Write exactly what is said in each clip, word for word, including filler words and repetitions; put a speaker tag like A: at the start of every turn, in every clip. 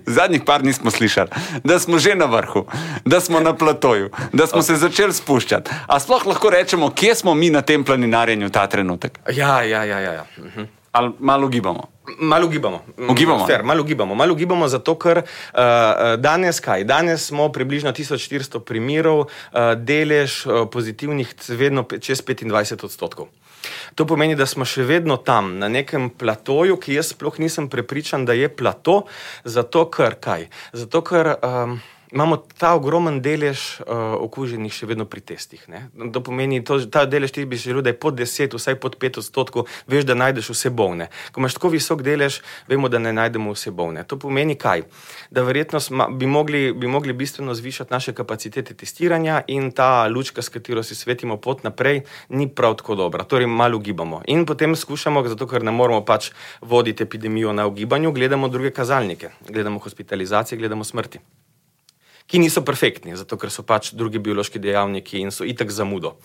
A: Zadnjih par nismo slišali, da smo že na vrhu, da smo na platoju, da smo se začeli spuščati. A sploh lahko rečemo, kje smo mi na tem planinarjenju ta trenutek?
B: Ja, ja, ja, ja. ja. Uh-huh.
A: Ali malo ugibamo?
B: Malo ugibamo.
A: Ugibamo?
B: Fair, malo ugibamo. Malo ugibamo zato, ker uh, danes kaj? Danes smo približno tisoč štiristo primerov, uh, delež uh, pozitivnih vedno čez petindvajset odstotkov. To pomeni, da smo še vedno tam, na nekem platoju, ki jaz sploh nisem prepričan, da je plato, zato ker kaj? Zato ker um, imamo ta ogromen delež uh, okuženih še vedno pri testih. Ne? To pomeni, to, ta delež ti bi želel, da je pod deset, vsaj pod pet odstotkov, veš, da najdeš vse bolne. Ko imaš tako visok delež, vemo, da ne najdemo vse bolne. To pomeni kaj? Da verjetno sma, bi, mogli, bi mogli bistveno zvišati naše kapacitete testiranja in ta lučka, s katero si svetimo pot naprej, ni prav tako dobra. Torej malo ugibamo. In potem skušamo, zato ker ne moramo pač voditi epidemijo na ugibanju, gledamo druge kazalnike. Gledamo hospitalizacije, gledamo smrti, ki niso perfektni, zato ker so pač drugi biološki dejavniki in so itak zamudo.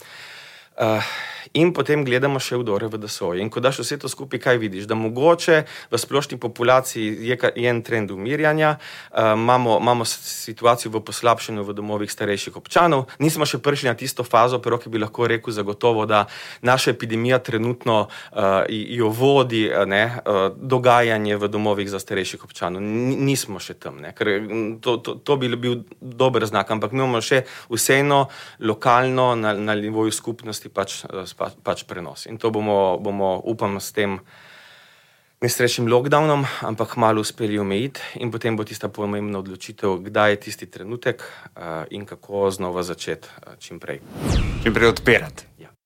B: Uh, in potem gledamo še vdore v D S O. In ko daš vse to skupaj, kaj vidiš? Da mogoče v splošni populaciji je, je en trend umirjanja, uh, imamo, imamo situacijo v poslabšanju v domovih starejših občanov, nismo še prišli na tisto fazo, pero ki bi lahko rekel zagotovo, da naša epidemija trenutno uh, jo vodi ne, uh, dogajanje v domovih za starejših občanov. N- nismo še tam, ne, ker to, to, to bi bil dober znak, ampak mi imamo še vseeno lokalno na, na nivoju skupnosti pač, pač prenos. In to bomo, bomo upam, s tem nesrečnim lockdownom, ampak malo uspeli omejiti in potem bo tista pomembna odločitev, kdaj je tisti trenutek uh, in kako znova začeti uh, čim prej.
A: Čim prej odpirati.